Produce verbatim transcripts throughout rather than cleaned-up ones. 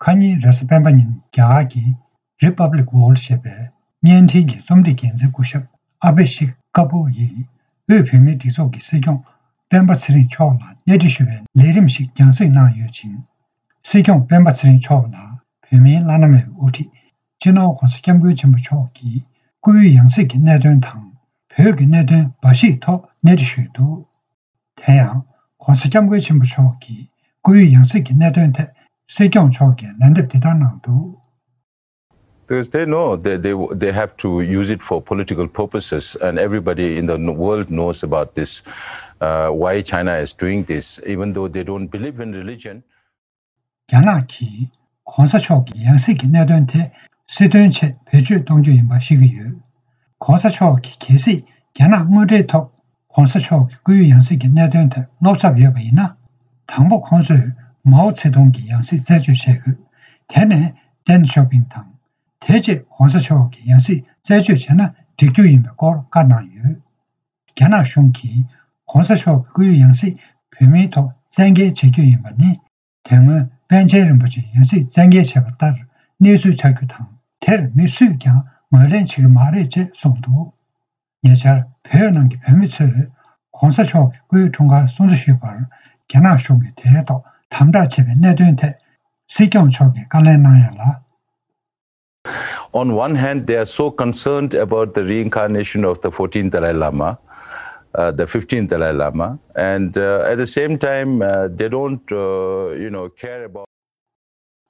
ཁ་ཉིན་རེས་གཟའ་སྤེན་པ་ཉིན་རྒྱ་གར་གྱི་Republic World ཞེས་པའི་བརྙན་འཕྲིན་གྱི་རྩོམ་སྒྲིག་འགན་འཛིན་སྐུ་ཞབས་ཨ་བྷི་ཤིག་ཀ་པུར་ཡིས་དབུས་བོད་མིའི་སྒྲིག་འཛུགས་ཀྱི་སྲིད་སྐྱོང་སྤེན་པ་ཚེ་རིང་མཆོག་ལ་གནས་འདྲི་ཞུ་བའི་ལས་རིམ་ཞིག་རྒྱང་སྲིང་གནང་ཡོད་ཅིང་། སྲིད་སྐྱོང་སྤེན་པ་ཚེ་རིང་མཆོག་ལ་བོད་མིའི་བླ་ན་མེད་པའི་དབུ་ཁྲིད་སྤྱི་ནོར་༧གོང་ས་༧སྐྱབས་མགོན་ཆེན་པོ་མཆོག་གིས་སྐུའི་ཡང་སྲིད་ཀྱི་གནད་དོན་དང་བོད་ཀྱི་གནད་དོན་འབའ་ཞིག་ཐོག་གནས་འདྲི་ཞུས་འདུག་དེ་ཡང་༧གོང་ས་༧སྐྱབས་མགོན་ཆེན་པོ་མཆོག་གིས་སྐུའི་ཡང་སྲིད་ཀྱི་གནད་དོན་ཐད་སྲིད་སྐྱོང་མཆོག་གིས་ལན་འདེབས་འདི་ལྟར་གནང་འདུག Because they know they, they, they have to use it for political purposes, and everybody in the world knows about this, uh, why China is doing this, even though they don't believe in religion. རྒྱ་ནག་གིས་༧གོང་ས་མཆོག་གི་ཡང་སྲིད་ཀྱི་གནད་དོན་དེ་སྲིད་དོན་ཆེད་བེད་སྤྱོད་གཏོང་རྒྱུ་ཡིན་པ་ཤེས་ཀྱི་ཡོད། ༧གོང་ས་མཆོག་གིས་གལ་སྲིད་རྒྱ་ནག་དངོས་འབྲེལ་ཐོག་༧གོང་ས་མཆོག་གི་སྐུའི་ཡང་སྲིད་ཀྱི་གནད་དོན་ཐད་བློ་འཚབ་ཡོད་པ་ཡིན་ན། དང་པོ་ཁོང་ཚོས་མའོ་ཙེ་ཏུང་གི་ཡང་སྲིད་རྩད་གཅོད་བྱེད་དགོས། དེ་ནས་ཏེན་ཞའོ་ཕིང་དང་། དེ་རྗེས་༧གོང་ས་མཆོག་གི་ཡང་སྲིད་རྩད་གཅོད་བྱས་ན་འགྲིག་རྒྱུ་ཡིན་པའི་སྐོར་བཀའ་གནང་ཡོད། རྒྱ་ནག་གཞུང་གིས་༧གོང་ས་མཆོག་གི་སྐུའི་ཡང་སྲིད་བོད་མིའི་ཐོག་བཙན་འགེལ་བྱེད་རྒྱུ་ཡིན་པ་ནི། དེ་སྔོན་པཎ་ཆེན་རིན་པོ་ཆེའི་ཡང་སྲིད་བཙན་འགེལ་བྱས་པ་ལྟར་གནས་ཚུལ་ཆགས་རྒྱུ་དང་། དེར་མི་སུས་ཀྱང་ངོས་ལེན་བྱེད་ཀྱི་མ་རེད་ཅེས་གསུངས་འདུག་ཉེ་ཆར་བོད་ནང་གི་བོད་མི་ཚོས་༧གོང་ས་མཆོག་གི་སྐུའི་འཁྲུངས་སྐར་སྲུང་བརྩི་ཞུས་པར་རྒྱ་ནག་གཞུང་གིས་དེའི་ཐོག་དམ་དྲག་བྱས་པའི་གནད་དོན་ཐད་སྲིད་སྐྱོང་མཆོག་གིས་བཀའ་ལན་གནང་ཡ་ལ། On one hand, they are so concerned about the reincarnation of the fourteenth Dalai Lama, uh, the fifteenth Dalai Lama, and uh, at the same time, uh, they don't, uh, you know, care about.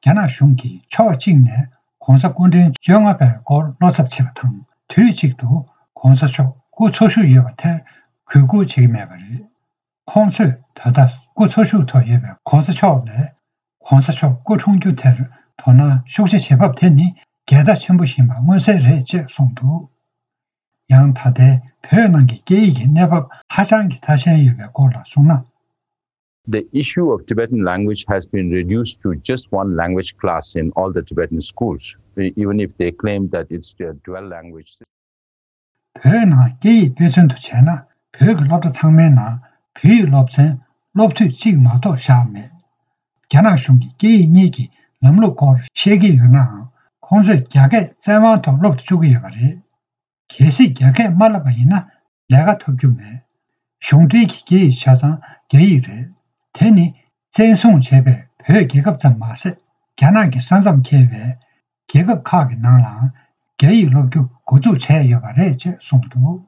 རྒྱ་ནག་གཞུང་གིས་ཕྱོགས་གཅིག་ནས་༧གོང་ས་སྐུ་ཕྲེང་བཅོ་ལྔ་པའི་སྐོར་བློ་འཚབ་བྱེད་པ་དང་། དུས་གཅིག་ཏུ་༧གོང་ས་མཆོག་སྐུ་འཚོ་བཞུགས་ཡོད་པ་དེར་གུས་བཀུར་བྱེད་ཀྱི་མེད་པ་རེད། ཁོང་ཚོས་ད་ལྟ་སྐུ་འཚོ་བཞུགས་ཐོག་ཡོད་པའི་༧གོང་ས་མཆོག་ལས། ༧གོང་ས་མཆོག་སྐུ་འཁྲུངས་རྒྱུ་དེར་དོ་སྣང་ཤུགས་ཆེ་བྱེད་བབ་དེ་ནི་འགལ་ཟླ་ཆེན་པོ་ཡིན་པ་མངོན་གསལ་རེད་ཅེས་གསུངས་འདུག་ཡང་ད་ལྟའི་བོད་ནང་གི་སྐད་ཡིག་གི་གནས་བབ་ཧ་ཅང་གི་ཐ་ཞན་ཡོད་པའི་སྐོར་ལ་གསུངས་ན། The issue of Tibetan language has been reduced to just one language class in all the Tibetan schools, e- even if they claim that it's a dual language system. བོད་ནང་སྐད་ཡིག་དཔེ་མཚོན་དུ་བྱས་ན། བོད་ཀྱི་སློབ་གྲྭ་ཚང་མའི་ནང་བོད་ཡིག་སློབ་ཚན་སློབ་དུས་གཅིག་མ་གཏོགས་བཞག་མེད། རྒྱ་ནག་གཞུང་གིས་སྐད་ཡིག་གཉིས་ཀྱི་ལམ་ལུགས་སྐོར་བཤད་ཀྱི་ཡོད་ནའང་། ཁོང་ཚོས་རྒྱ་སྐད་བཙན་དབང་ཐོག་སློབ་ཏུ་བཅུག་གི་ཡོད་པ་རེད། གལ་སྲིད་རྒྱ་སྐད་མ་བསླབས་པ་ཡིན་ན་ལས་ཀ་ཐོབ་རྒྱུ་མེད། གཞུང་འབྲེལ་གྱི་སྐད་ཡིག་ཆ་ཚང་རྒྱ་ཡིག་རེད། དེ་ནི་བཙན་བཟུང་བྱས་པའི་བོད་རྒྱལ་ཁབ་ཙམ་མ་ཟད། རྒྱ་ནག་གི་ས་མཚམས་འཁེལ་བའི་རྒྱལ་ཁབ་ཁག་གི་ནང་ལའང་རྒྱ་ཡིག་སློབ་རྒྱུ་འགོ་འཛུགས་བྱས་ཡོད་པ་རེད་ཅེས་གསུངས་འདུག་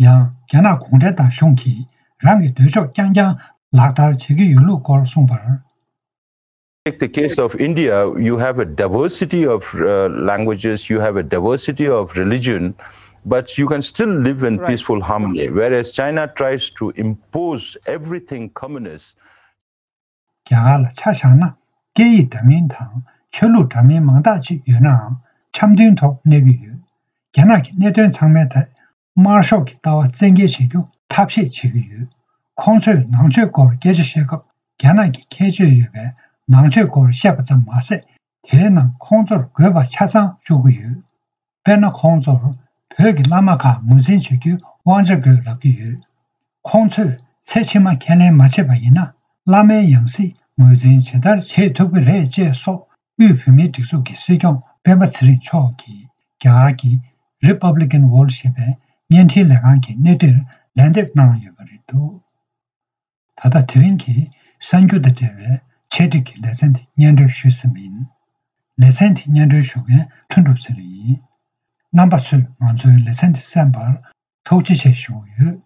ཡང་རྒྱ་ནག་གུང་ཁྲན་ཏང་གཞུང་གིས་རང་གི་འདོད་ཕྱོགས་རྐྱང་རྐྱང་ལག་བསྟར་བྱེད་ཀྱི་ཡོད་ལུགས་སྐོར་གསུངས་པར། Take the case of India, you have a diversity of uh, languages, you have a diversity of religion, but you can still live in Right. peaceful harmony. Whereas China tries to impose everything communist. རྒྱ་གར་ལ་ཆ་བཞག་ན། སྐད་ཡིག་འདྲ་མིན་དང་ཆོས་ལུགས་འདྲ་མིན་མང་དག་ཅིག་ཡོད་ནའང་འཆམ་མཐུན་ཐོག་གནས་ཀྱི་ཡོད། རྒྱ་ནག་གི་གནད་དོན་ཚང་མའི་ཐད་དམར་ཤོག་གི་ལྟ་བ་བཙན་འགེལ་བྱེད་རྒྱུ་ཐབས་ཤེས་བྱེད་ཀྱི་ཡོད། ཁོང་ཚོས་ནང་ཆོས་སྐོར་སྐད་ཆ་བཤད་སྐབས། རྒྱ་ནག་གི་ཁྱད་ཆོས་ཡོད་པའི་ནང་ཆོས་སྐོར་བཤད་པ་ཙམ་མ་ཟད། དེའི་ནང་ཁོང་ཚོར་དགོས་པ་ཆ་ཚང་བཅུག་གི་ཡོད། དཔེར་ན། ཁོང་ཚོར་བོད་ཀྱི་བླ་མ་ཁག་ངོས་འཛིན་བྱེད་རྒྱུའི་དབང་ཆ་དགོས་ལབ་ཀྱི་ཡོད། ཁོང་ཚོས་ཚེ་ཕྱི་མ་ཁས་ལེན་མ་བྱས་པ་ཡིན་ན། བླ་མའི་ཡང་སྲིད་ངོས་འཛིན་ཇི་ལྟར་བྱེད་ཐུབ་ཀྱི་རེད་ཅེས་སོགས། དབུས་བོད་མིའི་སྒྲིག་འཛུགས་ཀྱི་སྲིད་སྐྱོང་སྤེན་པ་ཚེ་རིང་མཆོག་གིས་རྒྱ་གར་གྱི་Republican World ཞེས་པའི་བརྙན་འཕྲིན་ལས་ཁང་གི་གནས་འདྲིར་ལན་འདེབས་གནང་ཡོད་པ་རེད་འདུག་ད་ལྟ་དེ་རིང་གི་གསར་འགྱུར་དང་འབྲེལ་བའི་ཆེད་སྒྲིག་གི་ལེ་ཚན་དེ་སྙན་སྒྲོན་ཞུས་ཟིན་པ་ཡིན། ལེ་ཚན་དེ་སྙན་སྒྲོན་ཞུ་མཁན་ལྷུན་གྲུབ་ཚེ་རིང་ཡིན། རྣམ་པ་ཚོས་ང་ཚོའི་ལེ་ཚན་དེ་གསན་པར་ཐུགས་རྗེ་ཆེ་ཞུ་གི་ཡོད།